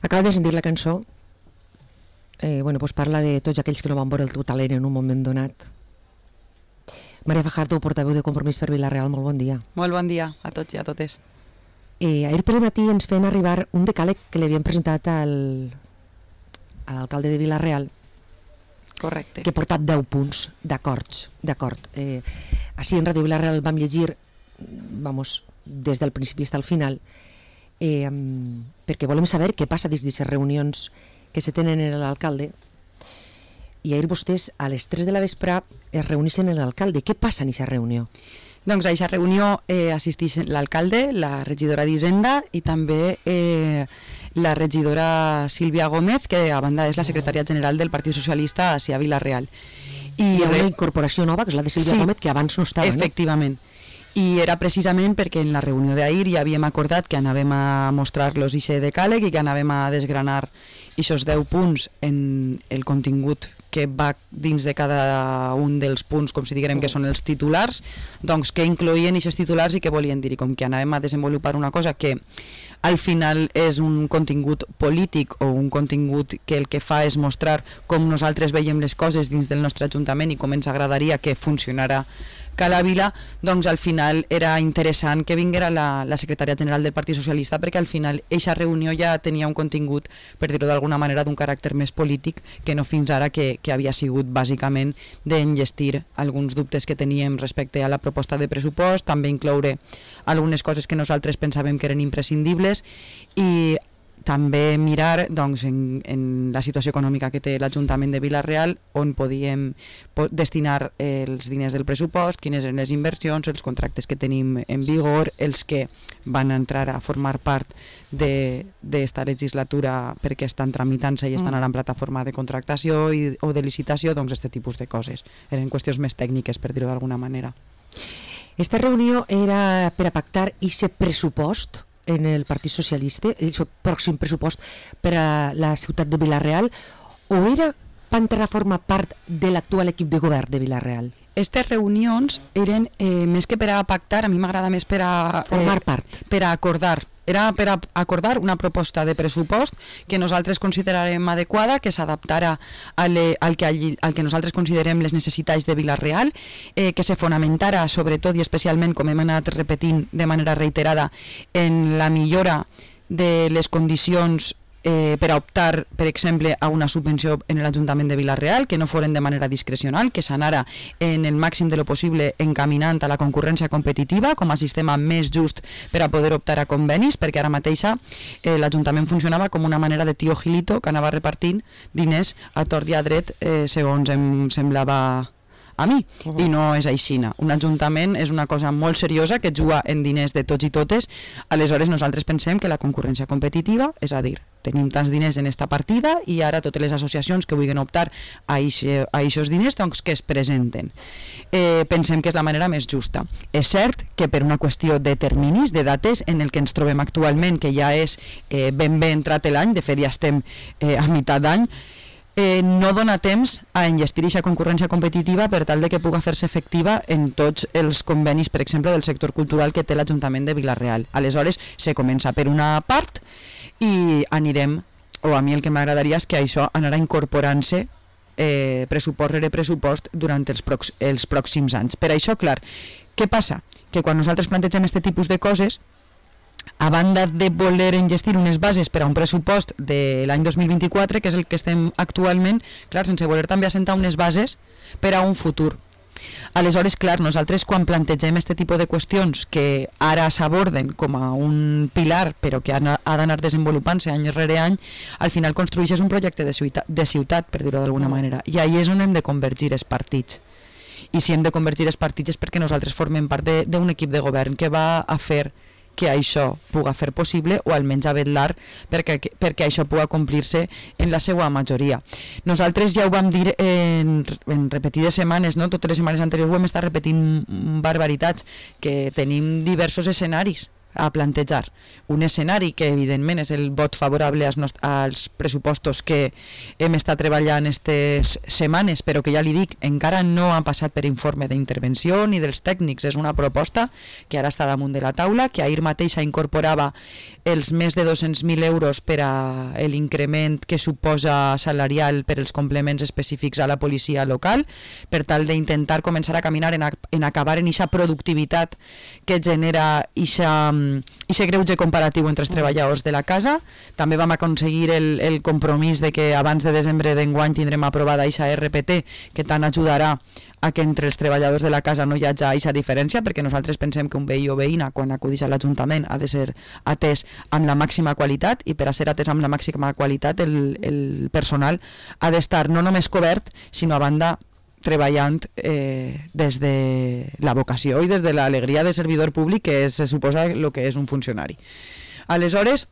Acaba de sentir la cançó. Pues parla de tots aquells que no van veure el teu talent en un moment donat. Maria Fajardo, portaveu de Compromís per Vila-real, molt bon dia. Molt bon dia a tots i a totes. Ahir per matí ens feien arribar un decàleg que li havien presentat a l'alcalde de Vila-real. Correcte. Que ha portat 10 punts d'acord. Així en Ràdio Vila-real vam llegir, des del principi fins al final, perquè volem saber què passa dins d'aquestes reunions que se tenen en l'alcalde. I ahir vostès a les 3 de la vespre es reuneixen amb l'alcalde. Què passa en aquesta reunió? Doncs a aquesta reunió assisteix l'alcalde, la regidora d'Hisenda i també la regidora Sílvia Gómez, que a banda és la secretària general del Partit Socialista a Vila-real. Hi ha una incorporació nova, que és la de Sílvia Gómez, que abans no estava. Efectivament. I era precisament perquè en la reunió d'ahir ja havíem acordat que anàvem a mostrar-los aquest decàleg i que anàvem a desgranar aquests 10 punts en el contingut que va dins de cada un dels punts, com si diguem que són els titulars, doncs què incloïen aquests titulars i què volien dir. I com que anàvem a desenvolupar una cosa que al final és un contingut polític o un contingut que el que fa és mostrar com nosaltres veiem les coses dins del nostre ajuntament i com ens agradaria que funcionara Cala Vila, doncs al final era interessant que vinguera la secretària general del Partit Socialista, perquè al final eixa reunió ja tenia un contingut, per dir-ho d'alguna manera, d'un caràcter més polític que no fins ara, que havia sigut bàsicament d'enllestir alguns dubtes que teníem respecte a la proposta de pressupost, també incloure algunes coses que nosaltres pensàvem que eren imprescindibles i també mirar en la situació econòmica que té l'Ajuntament de Vila-real, on podíem destinar els diners del pressupost, quines eren les inversions, els contractes que tenim en vigor, els que van entrar a formar part d'esta legislatura perquè estan tramitant-se i estan ara en plataforma de contractació o de licitació, doncs aquest tipus de coses. Eren qüestions més tècniques, per dir-ho d'alguna manera. Esta reunió era per a pactar aquest pressupost en el Partit Socialista, el pròxim pressupost per a la ciutat de Vila-real, o era per entrar a formar part de l'actual equip de govern de Vila-real? Aquestes reunions eren més que per a pactar, a mi m'agrada més per a formar part, per a acordar. Era per a acordar una proposta de pressupost que nosaltres considerarem adequada, que s'adaptara al que nosaltres considerem les necessitats de Vila-real, que se fonamentara sobretot i especialment, com hem anat repetint de manera reiterada, en la millora de les condicions per a optar, per exemple, a una subvenció en l'Ajuntament de Vila-real, que no foren de manera discrecional, que s'anara en el màxim de lo possible encaminant a la concurrència competitiva com a sistema més just per a poder optar a convenis, perquè ara mateixa l'Ajuntament funcionava com una manera de tio Gilito que anava repartint diners a tort i a dret segons em semblava a mi, i no és aixina. Un ajuntament és una cosa molt seriosa que juga en diners de tots i totes, aleshores nosaltres pensem que la concurrència competitiva, és a dir, tenim tants diners en esta partida i ara totes les associacions que vulguin optar a aquests diners doncs que es presenten. Pensem que és la manera més justa. És cert que per una qüestió de terminis, de dates, en el que ens trobem actualment, que ja és ben bé entrat l'any, de fet ja estem a meitat d'any, no dona temps a enllestir aquesta concurrència competitiva per tal de que pugui fer-se efectiva en tots els convenis, per exemple, del sector cultural que té l'Ajuntament de Vila-real. Aleshores, se comença per una part i anirem, o a mi el que m'agradaria és que això anarà incorporant-se pressupost rere pressupost durant els pròxims anys. Per això, clar, què passa? Que quan nosaltres plantegem aquest tipus de coses, a banda de voler enllestir unes bases per a un pressupost de l'any 2024, que és el que estem actualment, clar, sense voler també assentar unes bases per a un futur. Aleshores, clar, nosaltres quan plantegem aquest tipus de qüestions que ara s'aborden com a un pilar però que ha d'anar desenvolupant-se any rere any, al final construeixes un projecte de ciutat, per dir-ho d'alguna manera, i ahí és on hem de convergir els partits. I si hem de convergir els partits és perquè nosaltres formem part d'un equip de govern que va a fer que això pugui fer possible o almenys a vetllar perquè això pugui complir-se en la seva majoria. Nosaltres ja ho vam dir en repetides setmanes, no? Totes les setmanes anteriors ho hem estat repetint barbaritats, que tenim diversos escenaris. a plantejar un escenari que evidentment és el vot favorable als pressupostos que hem estat treballant aquestes setmanes, però que ja li dic, encara no ha passat per informe d'intervenció ni dels tècnics. És una proposta que ara està damunt de la taula, que ahir mateixa incorporava els més de 200.000 euros per a l'increment que suposa salarial per als complements específics a la policia local, per tal d'intentar començar a caminar en acabar en aquesta productivitat que genera aquest greuge comparatiu entre els treballadors de la casa. També vam aconseguir el compromís de que abans de desembre d'enguany tindrem aprovada aquesta RPT, que tant ajudarà a que entre els treballadors de la casa no hi hagi aquesta diferència, perquè nosaltres pensem que un veí o veïna quan acudeix a l'Ajuntament ha de ser atès amb la màxima qualitat, i per a ser atès amb la màxima qualitat el personal ha d'estar no només cobert, sinó a banda treballant des de la vocació i des de l'alegria de servidor públic, que se suposa el que és un funcionari. Aleshores,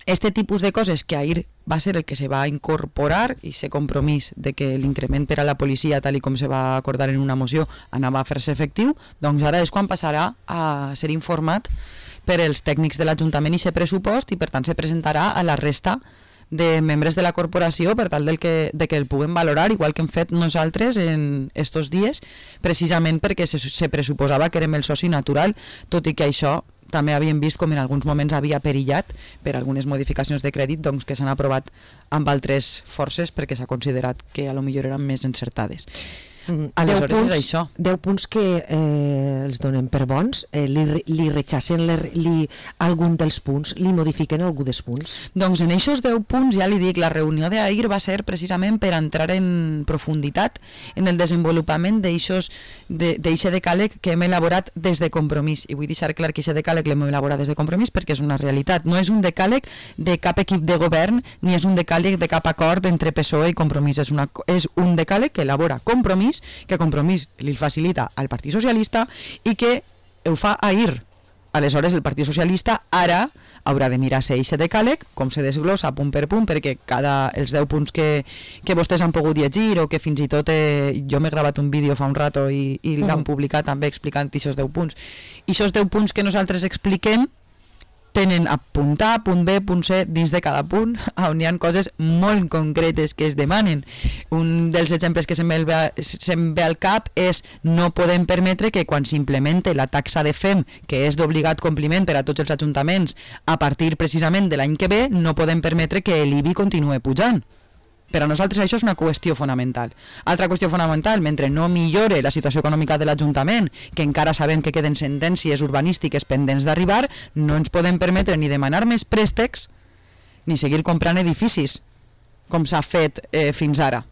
este tipus de coses que ahir va ser el que se va incorporar, i ese compromís de que l'increment per a la policia, tal i com se va acordar en una moció, anava a fer-se efectiu, doncs ara és quan passarà a ser informat per els tècnics de l'Ajuntament i aquest pressupost, i per tant se presentarà a la resta de membres de la corporació per tal de que el puguem valorar, igual que hem fet nosaltres en estos dies, precisament perquè se pressuposava que érem el soci natural, tot i que això també havíem vist com en alguns moments havia perillat per algunes modificacions de crèdit, doncs, que s'han aprovat amb altres forces perquè s'ha considerat que a lo millor eren més encertades. Aleshores és això. 10 punts que els donem per bons, li rechacen algun dels punts, li modifiquen algun dels punts? Doncs en aquests 10 punts, ja li dic, la reunió d'ahir va ser precisament per entrar en profunditat en el desenvolupament d'eixe decàleg que hem elaborat des de Compromís. I vull deixar clar que aquest decàleg l'hem elaborat des de Compromís perquè és una realitat. No és un decàleg de cap equip de govern ni és un decàleg de cap acord entre PSOE i Compromís. És un decàleg que elabora Compromís, que Compromís li facilita al Partit Socialista i que ho fa ahir. Aleshores el Partit Socialista ara haurà de mirar-se aquest decàleg, com se desglossa punt per punt, perquè els 10 punts que vostès han pogut llegir, o que fins i tot jo m'he gravat un vídeo fa un rato i l'han publicat també explicant aquests 10 punts. I aquests 10 punts que nosaltres expliquem tenen a punt A, punt B, punt C dins de cada punt, on hi ha coses molt concretes que es demanen. Un dels exemples que se'm ve al cap és: no podem permetre que quan s'implemente la taxa de FEM, que és d'obligat compliment per a tots els ajuntaments a partir precisament de l'any que ve, no podem permetre que l'IBI continue pujant. Per a nosaltres això és una qüestió fonamental. Altra qüestió fonamental: mentre no millore la situació econòmica de l'Ajuntament, que encara sabem que queden sentències urbanístiques pendents d'arribar, no ens podem permetre ni demanar més préstecs ni seguir comprant edificis, com s'ha fet fins ara.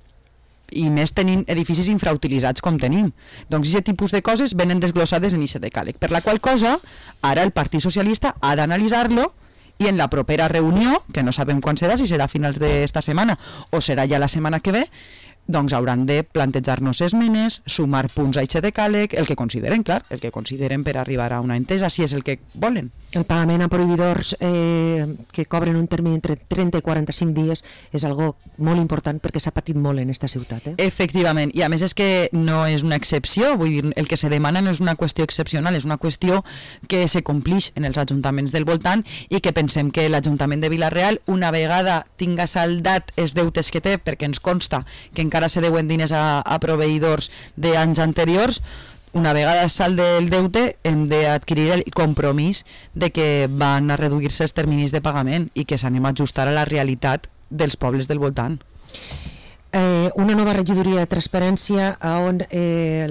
I més tenint edificis infrautilitzats com tenim. Doncs aquest tipus de coses venen desglossades en aquest decàleg. Per la qual cosa, ara el Partit Socialista ha d'analitzar-lo, i en la propera reunió, que no sabem quan serà, si serà a finals d'esta setmana o serà ja la setmana que ve, doncs hauran de plantejar-nos esmenes, sumar punts a aquest decàleg, el que consideren, clar, el que consideren per arribar a una entesa, si és el que volen. El pagament a proveïdors que cobren un termini entre 30 i 45 dies és algo molt important perquè s'ha patit molt en esta ciutat. Efectivament, i a més és que no és una excepció, vull dir, el que se demana no és una qüestió excepcional, és una qüestió que se complix en els ajuntaments del voltant i que pensem que l'Ajuntament de Vila-real, una vegada tinga saldat els deutes que té, perquè ens consta que encara se deuen diners a proveïdors d'anys anteriors, una vegada salde el deute hem d'adquirir el compromís de que van a reduir-se els terminis de pagament i que s'anem a ajustar a la realitat dels pobles del voltant. Una nova regidoria de transparència on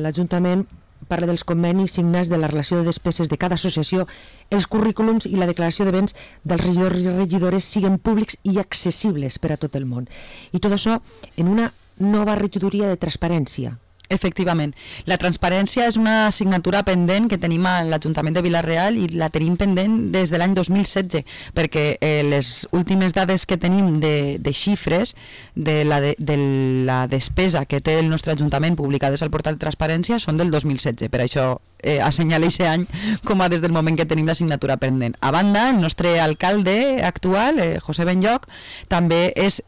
l'Ajuntament parla dels convenis signats, de la relació de despeses de cada associació, els currículums i la declaració de béns dels regidors i regidores siguin públics i accessibles per a tot el món. I tot això en una nova regidoria de transparència. Efectivament. La transparència és una assignatura pendent que tenim a l'Ajuntament de Vila-real i la tenim pendent des de l'any 2016, perquè les últimes dades que tenim de xifres de la despesa que té el nostre Ajuntament publicades al portal de transparència són del 2016. Per això assenyala aquest any com a des del moment que tenim l'assignatura pendent. A banda, el nostre alcalde actual, José Benlloch, també és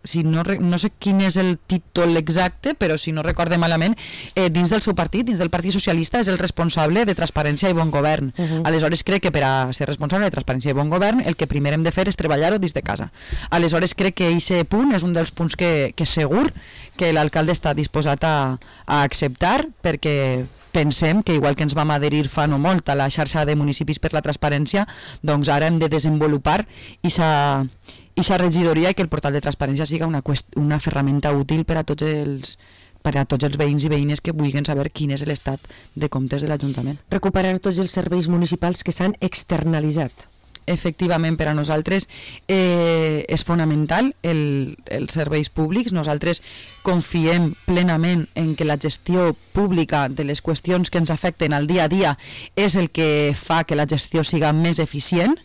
si no sé quin és el títol exacte, però si no recorde malament, dins del seu partit, dins del Partit Socialista, és el responsable de Transparència i Bon Govern. Aleshores crec que per a ser responsable de Transparència i Bon Govern el que primer hem de fer és treballar-ho dins de casa. Aleshores crec que aquest punt és un dels punts que segur que l'alcalde està disposat a acceptar, perquè pensem que igual que ens vam adherir fa no molt a la xarxa de municipis per la transparència, doncs ara hem de desenvolupar aquesta regidoria i que el portal de transparència siga una ferramenta útil per a tots els veïns i veïnes que vulguin saber quin és l'estat de comptes de l'Ajuntament. Recuperar tots els serveis municipals que s'han externalitzat. Efectivament, per a nosaltres és fonamental els serveis públics. Nosaltres confiem plenament en que la gestió pública de les qüestions que ens afecten al dia a dia és el que fa que la gestió siga més eficient.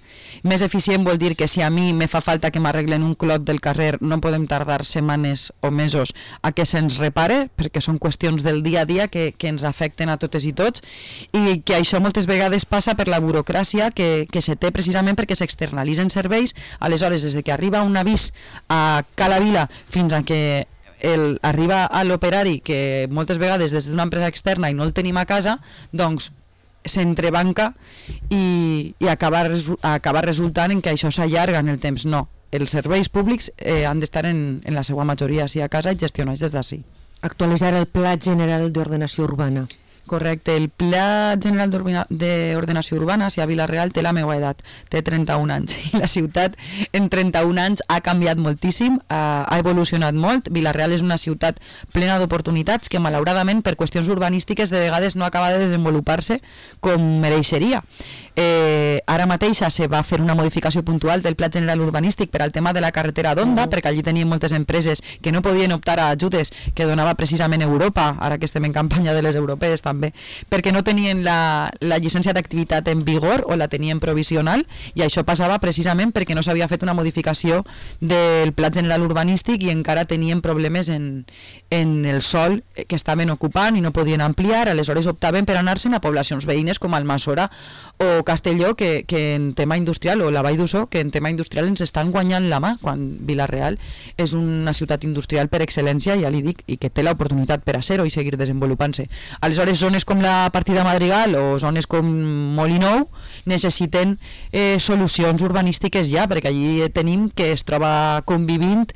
Més eficient vol dir que si a mi me fa falta que m'arreglen un clot del carrer, no podem tardar setmanes o mesos a que se'ns repare, perquè són qüestions del dia a dia que ens afecten a totes i tots, i que això moltes vegades passa per la burocràcia que se té precisament perquè s'externalitzen serveis. Aleshores, des que arriba un avís a Cala Vila fins a que arriba a l'operari, que moltes vegades des d'una empresa externa i no el tenim a casa, doncs s'entrebanca i acaba resultant en que això s'allarga en el temps. No, els serveis públics han d'estar en la seva majoria a casa i gestionats des d'ací. Actualitzar el Pla General d'Ordenació Urbana. Correcte, el Pla General d'Ordenació Urbana, si a Vila-real té la meva edat, té 31 anys, i la ciutat en 31 anys ha canviat moltíssim, ha evolucionat molt. Vila-real és una ciutat plena d'oportunitats que malauradament per qüestions urbanístiques de vegades no acaba de desenvolupar-se com mereixeria. Ara mateixa se va fer una modificació puntual del Pla General Urbanístic per al tema de la carretera d'Onda, perquè allí tenien moltes empreses que no podien optar a ajudes que donava precisament Europa, ara que estem en campanya de les europees també, perquè no tenien la llicència d'activitat en vigor o la tenien provisional, i això passava precisament perquè no s'havia fet una modificació del Pla General Urbanístic i encara tenien problemes en el sòl que estaven ocupant i no podien ampliar. Aleshores optaven per anar-se'n a poblacions veïnes com Almassora o Castelló, que en tema industrial, o la Vall d'Ussó, que en tema industrial ens estan guanyant la mà, quan Vila-real és una ciutat industrial per excel·lència, ja li dic, i que té l'oportunitat per a ser-ho i seguir desenvolupant-se. Aleshores, zones com la Partida Madrigal o zones com Molinou necessiten solucions urbanístiques ja, perquè allí tenim que es troba convivint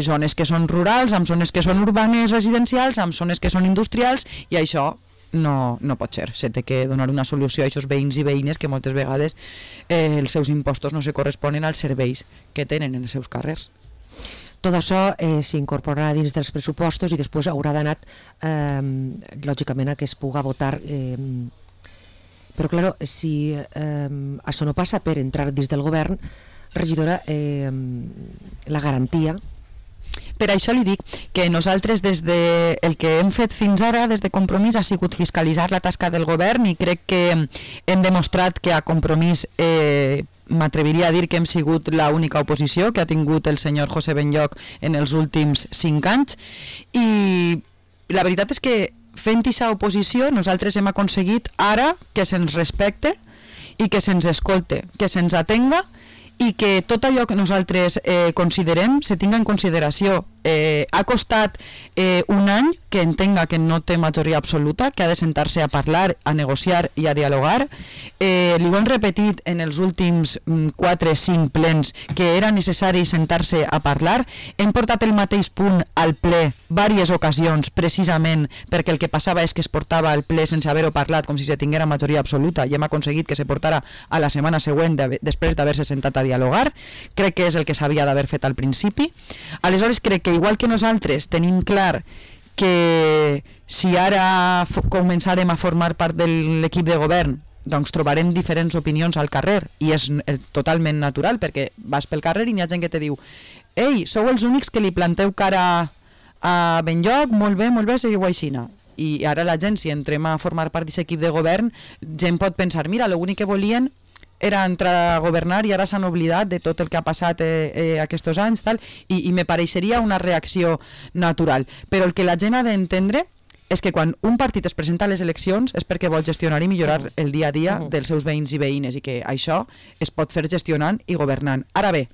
zones que són rurals, amb zones que són urbanes residencials, amb zones que són industrials, i això no pot ser. Se té que donar una solució a aquests veïns i veïnes que moltes vegades els seus impostos no se corresponen als serveis que tenen en els seus carrers. Tot això s'incorporarà dins dels pressupostos i després haurà d'anar, lògicament, a que es puga votar. Però, clar, si això no passa per entrar dins del govern, regidora, la garantia... Per això li dic que nosaltres el que hem fet fins ara des de Compromís ha sigut fiscalitzar la tasca del govern, i crec que hem demostrat que a Compromís m'atreviria a dir que hem sigut l'única oposició que ha tingut el senyor José Benlloch en els últims 5 anys, i la veritat és que fent aquesta oposició nosaltres hem aconseguit ara que se'ns respecte i que se'ns escolte, que se'ns atenga, i que tot allò que nosaltres considerem se tinga en consideració. Ha costat un any que entenga que no té majoria absoluta, que ha de sentar-se a parlar, a negociar i a dialogar. Li ho hem repetit en els últims 4-5 plens que era necessari sentar-se a parlar. Hem portat el mateix punt al ple diverses ocasions, precisament perquè el que passava és que es portava al ple sense haver-ho parlat, com si se tinguera majoria absoluta, i hem aconseguit que se portara a la setmana següent després d'haver-se sentat a dialogar. Crec que és el que s'havia d'haver fet al principi. Aleshores crec que igual que nosaltres tenim clar que si ara començarem a formar part de l'equip de govern, doncs trobarem diferents opinions al carrer, i és totalment natural, perquè vas pel carrer i n'hi ha gent que te diu: ei, sou els únics que li planteu cara a Benlloch, molt bé, seguiu aixina. I ara la gent, si entrem a formar part d'aquest equip de govern, gent pot pensar: mira, l'únic que volien era entrar a governar i ara s'han oblidat de tot el que ha passat aquests anys, tal, i me pareixeria una reacció natural. Però el que la gent ha d'entendre és que quan un partit es presenta a les eleccions és perquè vol gestionar i millorar el dia a dia dels seus veïns i veïnes, i que això es pot fer gestionant i governant. Ara bé,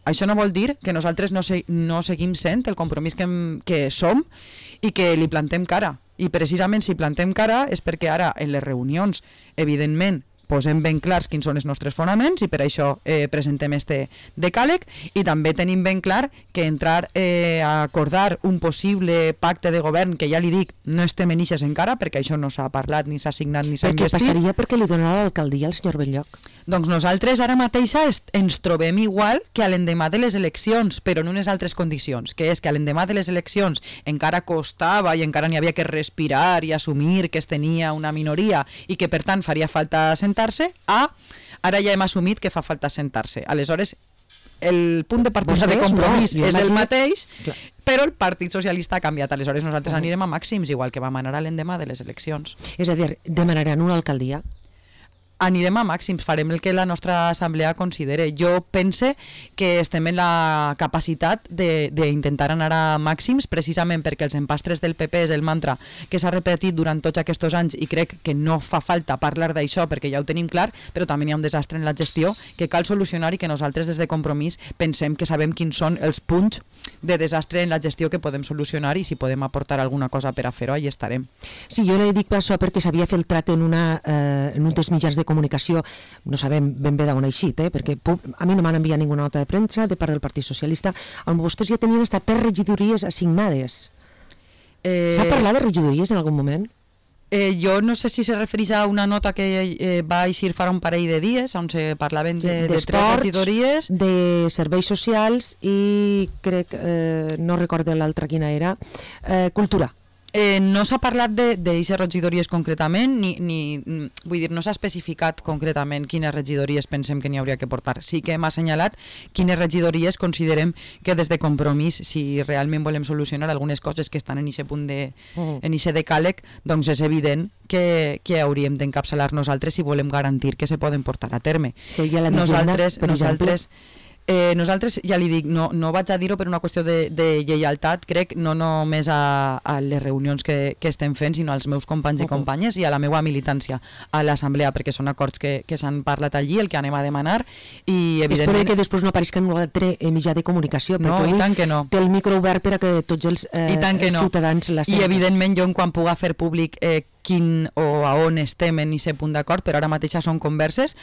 Això no vol dir que nosaltres no seguim sent el compromís que som i que li plantem cara. I precisament si plantem cara és perquè ara en les reunions, evidentment, posem ben clars quins són els nostres fonaments i per això presentem este decàleg i també tenim ben clar que entrar a acordar un possible pacte de govern, que ja li dic, no estem en ixes encara perquè això no s'ha parlat, ni s'ha signat, ni s'ha investit. Què passaria perquè li donarà l'alcaldia al senyor Belllloc? Doncs nosaltres ara mateixa ens trobem igual que a l'endemà de les eleccions, però en unes altres condicions, que és que a l'endemà de les eleccions encara costava i encara n'hi havia que respirar i assumir que es tenia una minoria i que per tant faria falta sentar-se, ara ja hem assumit que fa falta sentar-se. Aleshores, el punt de partida de compromís és el mateix, però el Partit Socialista ha canviat. Aleshores nosaltres anirem a màxims, igual que vam anar a l'endemà de les eleccions. És a dir, demanaran una alcaldia? Anirem a màxims, farem el que la nostra assemblea considere. Jo pense que estem en la capacitat d'intentar anar a màxims precisament perquè els empastres del PP és el mantra que s'ha repetit durant tots aquests anys i crec que no fa falta parlar d'això perquè ja ho tenim clar, però també hi ha un desastre en la gestió que cal solucionar i que nosaltres des de Compromís pensem que sabem quins són els punts de desastre en la gestió que podem solucionar i si podem aportar alguna cosa per a fer-ho, allà estarem. Sí, jo li dic això perquè s'havia filtrat en un dels mitjans de comunicació, no sabem ben bé d'on ha eixit, perquè a mi no m'han enviat ninguna nota de premsa de part del Partit Socialista, on vostès ja tenien hasta 3 regidories assignades. S'ha parlat de regidories en algun moment? Jo no sé si se refereix a una nota que va eixir fa un parell de dies on se parlaven de 3 regidories, de serveis socials i crec, no recordo l'altra quina era, cultura. No s'ha parlat d'aquestes regidories concretament, vull dir, no s'ha especificat concretament quines regidories pensem que n'hi hauria que portar. Sí que hem assenyalat quines regidories considerem que des de Compromís, si realment volem solucionar algunes coses que estan en aquest punt en aquest decàleg, doncs és evident que hauríem d'encapçalar nosaltres si volem garantir que se poden portar a terme. Seria la d'Hisenda, per exemple? Nosaltres, ja li dic, no vaig a dir-ho per una qüestió de lleialtat, crec, no només a les reunions que estem fent, sinó als meus companys i companyes i a la meva militància a l'assemblea, perquè són acords que s'han parlat allí, el que anem a demanar, i evidentment... Espero que després no apareixi en un altre mitjà de comunicació, no, perquè i tant que no. Té el micro obert per a que tots els ciutadans la senten. I evidentment jo, quan puga fer públic quin o a on estem en aquest punt d'acord, però ara mateix són converses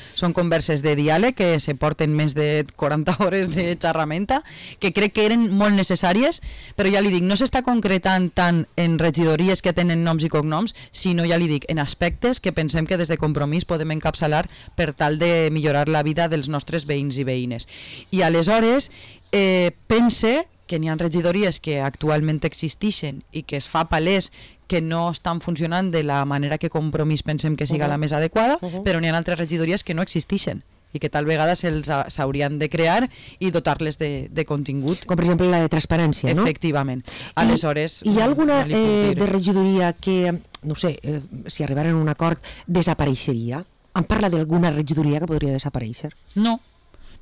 de diàleg que se porten més de 40 hores de xerramenta, que crec que eren molt necessàries, però ja li dic, no s'està concretant tant en regidories que tenen noms i cognoms, sinó, ja li dic, en aspectes que pensem que des de Compromís podem encapçalar per tal de millorar la vida dels nostres veïns i veïnes. I aleshores pense que n'hi ha regidories que actualment existeixen i que es fa palès que no estan funcionant de la manera que Compromís pensem que siga la més adequada, però n'hi ha altres regidories que no existeixen i que tal vegada s'haurien de crear i dotar-les de contingut. Com per exemple la de transparència, no? Efectivament. Aleshores... Hi ha alguna de regidoria que, no sé, si arribaren a un acord, desapareixeria? Em parla d'alguna regidoria que podria desaparèixer?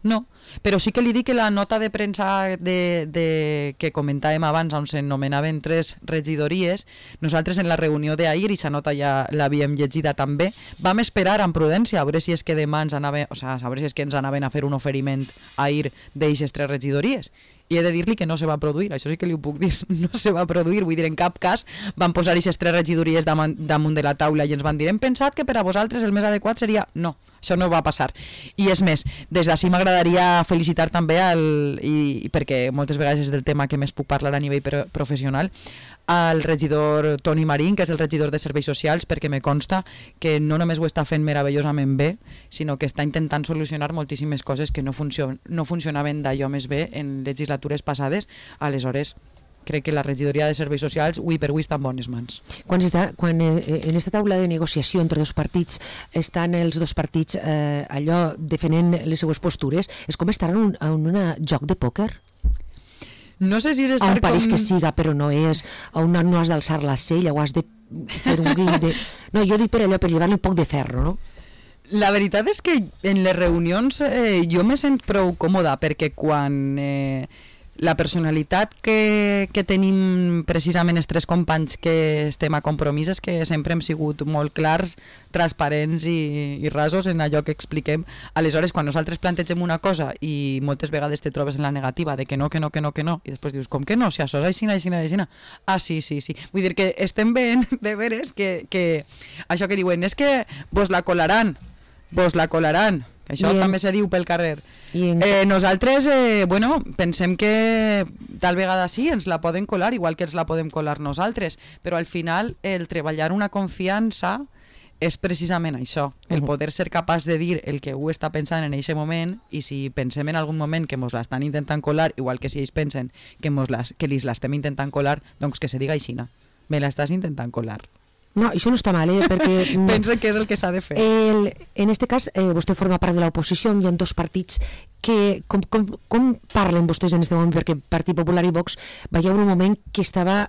No, però sí que li dic que la nota de premsa que comentàvem abans, on s'anomenaven 3 regidories, nosaltres en la reunió d'ahir, i aquesta nota ja l'havíem llegida també, vam esperar amb prudència a veure si és que demà ens anaven, a veure si és que ens anaven a fer un oferiment ahir d'eixes 3 regidories. I he de dir-li que no se va produir, això sí que li ho puc dir, no se va produir, vull dir, en cap cas van posar aquestes 3 regidories damunt de la taula i ens van dir, hem pensat que per a vosaltres el més adequat seria... No, això no va passar. I és més, des d'ací m'agradaria felicitar també, perquè moltes vegades és del tema que més puc parlar a nivell professional, al regidor Toni Marín, que és el regidor de Serveis Socials, perquè me consta que no només ho està fent meravellosament bé, sinó que està intentant solucionar moltíssimes coses que no funcionaven d'allò més bé en legislatures passades. Aleshores, crec que la regidoria de Serveis Socials avui per avui està en bones mans. Quan en aquesta taula de negociació entre dos partits estan els dos partits allò defenent les seues postures, és com estar en un joc de pòquer? No sé si és estar com... que siga, però no és, on no has d'alçar la cella o has de fer un guill de... No, jo dic per allò, per llevar-li un poc de ferro, no? La veritat és que en les reunions jo me sent prou còmoda, perquè quan la personalitat que tenim precisament els tres companys que estem a Compromís és que sempre hem sigut molt clars, transparents i rasos en allò que expliquem. Aleshores, quan nosaltres plantegem una cosa i moltes vegades te trobes en la negativa de que no, i després dius, com que no? Si això és aixina. Ah, sí. Vull dir que estem veient de veres que això que diuen és que vos la colaran. Això també se diu pel carrer. Nosaltres pensem que tal vegada sí, ens la poden colar, igual que ens la podem colar nosaltres, però al final el treballar una confiança és precisament això, el poder ser capaç de dir el que està pensant en aquest moment, i si pensem en algun moment que mos l'estan intentant colar, igual que si ells pensen que lis l'estem intentant colar, doncs que se diga aixina, me l'estàs intentant colar. No, això no està mal, perquè... Penso que és el que s'ha de fer. En este cas, vostè forma part de l'oposició, hi ha dos partits que... Com parlen vostès en aquest moment? Perquè Partit Popular i Vox va haver un moment que estava,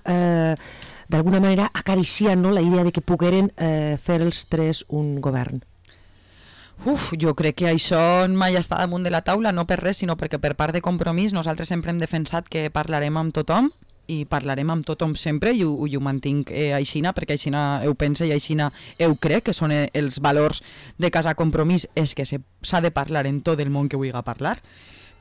d'alguna manera, acariciant, no?, la idea de que pogueren fer els tres un govern. Jo crec que això mai està damunt de la taula, no per res, sinó perquè per part de Compromís nosaltres sempre hem defensat que parlarem amb tothom, i parlarem amb tothom sempre, i ho mantinc aixina, perquè aixina ho pense i aixina ho crec, que són els valors de Casa Compromís, és que s'ha de parlar en tot el món que vulgui parlar,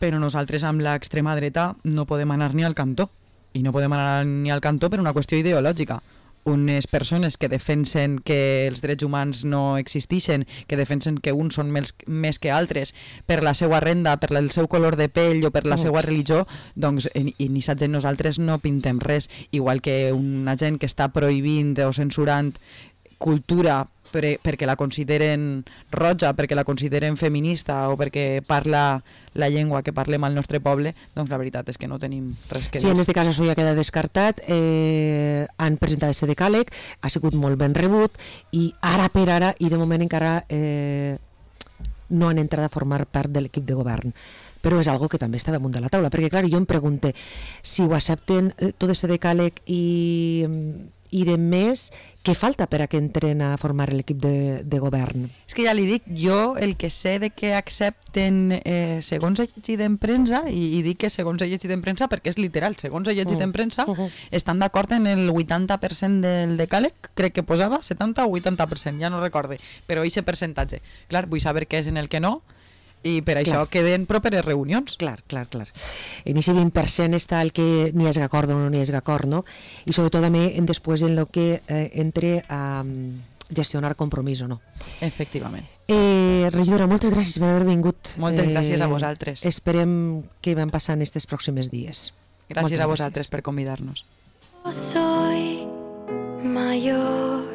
però nosaltres amb l'extrema dreta no podem anar ni al cantó, i no podem anar ni al cantó per una qüestió ideològica. Unes persones que defensen que els drets humans no existeixen, que defensen que uns són més que altres per la seva renda, per el seu color de pell o per la seva religió, doncs i ni sa gent nosaltres no pintem res, igual que una gent que està prohibint o censurant cultura perquè la consideren roja, perquè la consideren feminista o perquè parla la llengua que parlem al nostre poble, doncs la veritat és que no tenim res que dir. Sí, en aquest cas això ja queda descartat. Han presentat aquest decàleg, ha sigut molt ben rebut i ara per ara, i de moment encara no han entrat a formar part de l'equip de govern. Però és algo que també està damunt de la taula, perquè clar, jo em pregunto si ho accepten tot aquest decàleg i de més, què falta per a que entren a formar l'equip de govern? És que ja li dic, jo el que sé de que accepten, segons he llegit en premsa, i dic que segons he llegit en premsa perquè és literal, segons he llegit en premsa, estan d'acord en el 80% del decàleg, crec que posava 70 o 80%, ja no recorde, però aquest percentatge. Clar, vull saber què és en el que no, i per això queden properes reunions. Clar. En aquest 20% està el que n'hi hagi acord o no n'hi hagi acord, no? I sobretot també després en el que entre a gestionar Compromís o no. Efectivament. Regidora, moltes gràcies per haver vingut. Moltes gràcies a vosaltres. Esperem que van passant estos pròxims dies. Gràcies a vosaltres per convidar-nos. Soy mayor.